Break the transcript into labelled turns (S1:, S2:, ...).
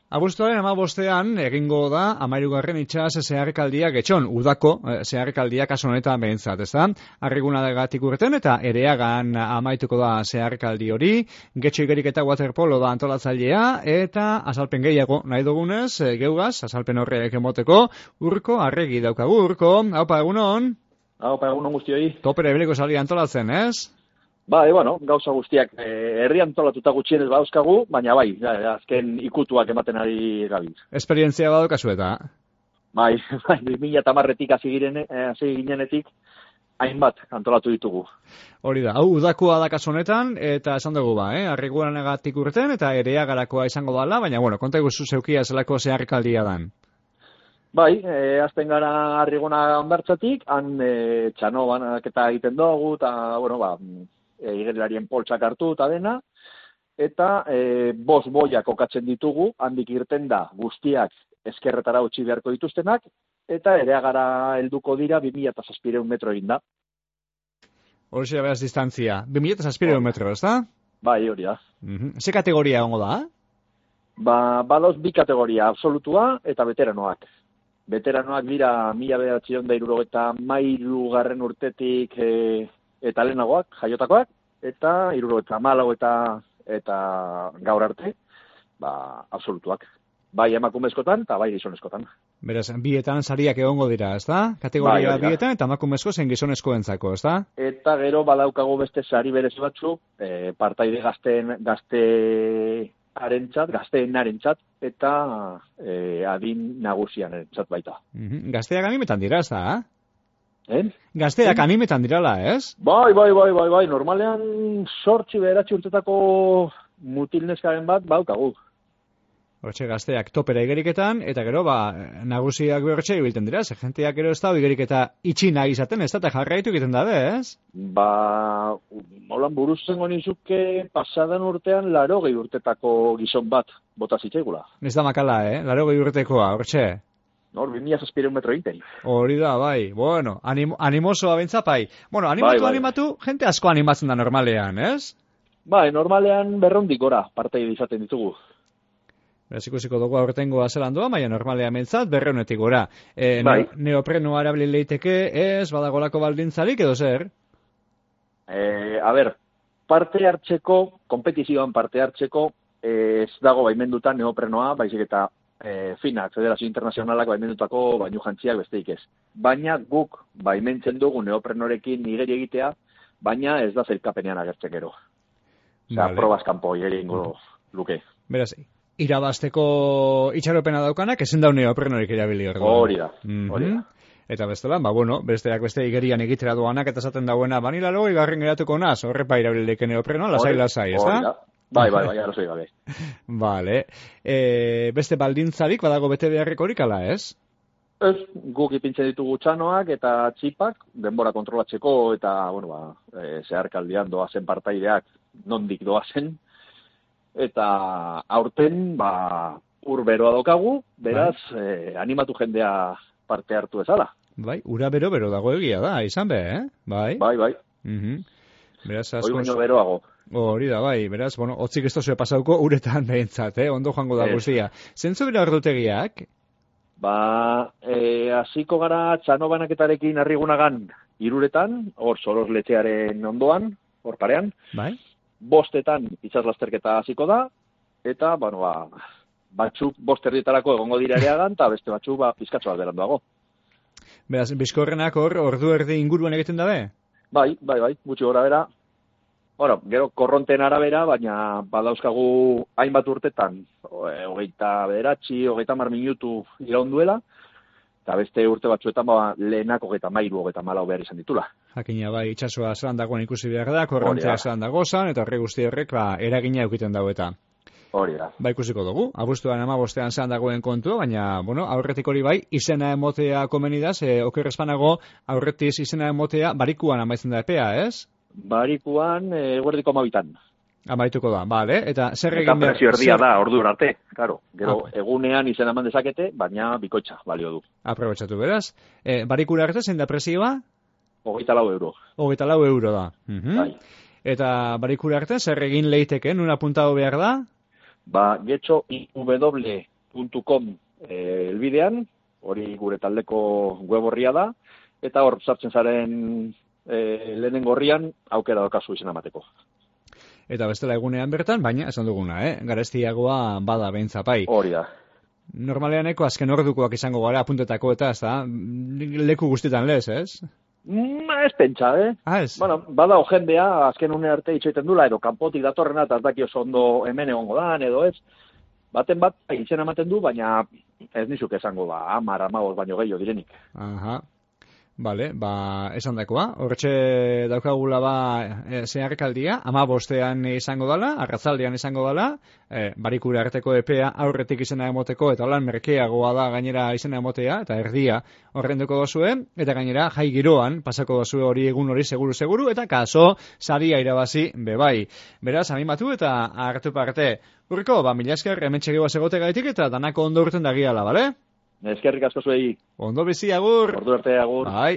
S1: Abuztuaren 15ean egingo da 13. itsas zeharkaldia Getxon, udako zeharkaldia kasu honetan behintzat, ezta? Arrigunagatik urten eta Ereagan amaituko da zeharkaldi hori, Getxo igeriketa waterpolo da antolatzailea eta azalpen gehiago nahi dugunez, geugaz, azalpen horrek emoteko, Urko Arregi daukagu. Urko, haupa egunon?
S2: Haupa egunon guztioi.
S1: Topera ebeliko salia antolatzen, ez?
S2: Bai, gauza guztiak herrian antolatuta gutxienez badauzkagu, baina bai, azken ikutuak ematen ari gabiz.
S1: Esperientzia badaukazu eta?
S2: Bai, 2010etik hasi ginenetik hainbat antolatu ditugu.
S1: Hori da, hau udakoa da kasu honetan, eta esan dugu Arriguranagatik urten eta Ereagarakoa izango dala, baina konta iguzu zeukia zelako zeharkaldia dan.
S2: Bai, azten gara Arriguna bertzatik, han txano banaketa egiten dugu, eta, igerilarien poltsak hartu eta dena, eta 5 boiak kokatzen ditugu, handik irten da guztiak eskerretara utzi beharko dituztenak, eta Ereagara helduko dira 2700 metro egin da.
S1: Hori beraz distantzia, 2700 metro, ez da?
S2: Bai, hori da.
S1: Ze kategoria ongo da?
S2: Badoz 2 kategoria, absolutua eta veteranoak. Veteranoak dira 1973 garren urtetik eta lehenagoak, jaiotakoak, eta 74 eta gaur arte, absolutuak. Bai emakumezkotan eta bai gizonezkotan.
S1: Beraz, bietan sariak egongo dira, ez da? Kategoria bai, bietan eta emakumezko zen gizonezkoentzako, ez da?
S2: Eta gero badaukagu beste sari berezi batzuk, partaide gazteenarentzat eta adin nagusiarentzat baita.
S1: Gazteak animetan dira, ez da? Gazteak animetan dirala, ez?
S2: Bai, normalean 8-9 urtetako mutilneskaren bat baukagu.
S1: Hortxe gazteak topera igeriketan, eta gero, nagusiak behortxe ibilten dira, ze jenteak gero ez da igeriketa itxina izaten, ez da, eta jarraitu egiten dabe, ez?
S2: Holan buruz zengo nizuke pasadan urtean 80 urtetako gizon bat bota zitzaigula.
S1: Ez da makala, 80 urtekoa, hortxe?
S2: Hor, 2700 metro egiten.
S1: Hori da, bai. Animosoa bentzapai. Animatu, jente asko animatzen da normalean, ez?
S2: Bai, normalean 200 gora parteide izaten ditugu.
S1: Beraz ikusiko dugu aurtengoa zelan doa, baina normalean mentzat 200-etik gora. Neoprenoa erabili leiteke, ez, badagolako baldintzarik edo zer?
S2: Parte hartzeko, kompetizioan parte hartzeko, ez dago baimenduta neoprenoa, baizik eta FINAK, Federazio Internazionalak baimendutako bainu jantziak besteik ez. Baina guk baimentzen dugu neoprenorekin igeri egitea, baina ez da zelkapenean agertzen gero. Probaz kanpo igeri ingo luke.
S1: Beraz, irabazteko itxaropena daukanak, ezin daun neoprenorik erabili hor.
S2: Hori da.
S1: Eta bestelan, besteak beste igerian egitera doanak, eta zaten dauena, banilaro, igarren geratuko naz, horrepa irabilileke neoprenoa, lasai, ez da?
S2: Bai, arrazoi gabe.
S1: Vale. Beste baldintzarik badago bete beharrekorik ala, ez?
S2: Ez, guk ipintzen ditugu txanoak eta txipak, denbora kontrolatzeko eta, zeharkaldian doazen partaideak nondik doazen. Eta aurten, ur beroa daukagu, beraz, animatu jendea parte hartu ezala.
S1: Bai, ura bero dago egia da, izan be, Bai. Beraz,
S2: hori baino beroago.
S1: Hori da, bai, beraz, otzik ez tozue pasauko uretan behintzat, ondo joango da guztia. Zentzu bera ordutegiak?
S2: Hasiko gara txano banaketarekin Arrigunagan 3:00, hor Soros letxearen ondoan, hor parean.
S1: Bai.
S2: 5:00 itsaslasterketa hasiko da, eta, batzuk 5:00 egongo dira Ereagan, eta beste batzuk pizkatxo bat beranduago.
S1: Beraz, bizkorrenak hor ordu erdi inguruan egiten dabe?
S2: Bai, gutxi gora bera. Gero korronten arabera, baina badauzkagu hainbat urtetan, 29, 30 minutu iraunduela, eta beste urte batzuetan lehenak 33, 34 behar izan ditula.
S1: Jakina, bai, itxasoa zelan dagoen ikusi behar da, korrontea zelan dagozan, eta horre guzti horrek eragina eukiten dago eta.
S2: Hori da.
S1: Ikusiko dugu, abuztuan 15ean zelan dagoen kontua, baina, aurretik hori bai, izena emotea komenidaz, okerrezpanago, aurretiz izena emotea, barikuan amaitzen da epea, ez?
S2: Barikuan, guardiko 12.
S1: Amaituko da, bale, eta zer egin behar...
S2: Eta prezio erdia da, ordu arte, karo. Gero, egunean izena eman dezakete, baina bikoitza balio du.
S1: Aprobetxatu beraz. Barikura arte, zein da prezioa?
S2: 24 euro.
S1: 24 euro da.
S2: Bai.
S1: Eta barikura arte, zer egin leiteke, nun apuntado behar da?
S2: Getxo IW www.arraigabeak.com elbidean, hori gure taldeko web horria da, eta hor sartzen zaren lehenengo horrian aukera daukazu izena emateko.
S1: Eta bestela egunean bertan, baina esan duguna, garestiagoa bada beintzapai.
S2: Hori da.
S1: Normaleaneko azken ordukoak izango gara apuntetako eta ez da, leku guztietan lez, ez?
S2: Ez pentsa,
S1: Ez?
S2: Bueno, bada jendea azken une arte itxoiten dula, edo kanpotik datorrena, eta ez daki oso ondo hemen egongo dan, edo ez. Baten bat, izena ematen du, baina ez nizuk esango, 10-15 baino gehiago direnik.
S1: Aha. Bale, esan dakoa. Hortxe daukagula zeharkaldia, 15ean izango dala, arratzaldean izango dala, barikure arteko epea aurretik izena emoteko, eta holan merkeagoa da gainera izena emotea, eta erdia horrenduko dozue, eta gainera jai giroan pasako dozue hori egun hori seguru, eta kaso saria irabazi bebai. Beraz, animatu eta hartu parte. Urriko, mila esker, hemen txegeoa segote gaitik, eta danako ondo urten dagiala, bale?
S2: Eskerrik asko zuei.
S1: Ondo bizi, agur.
S2: Ordu arte, agur.
S1: Bai.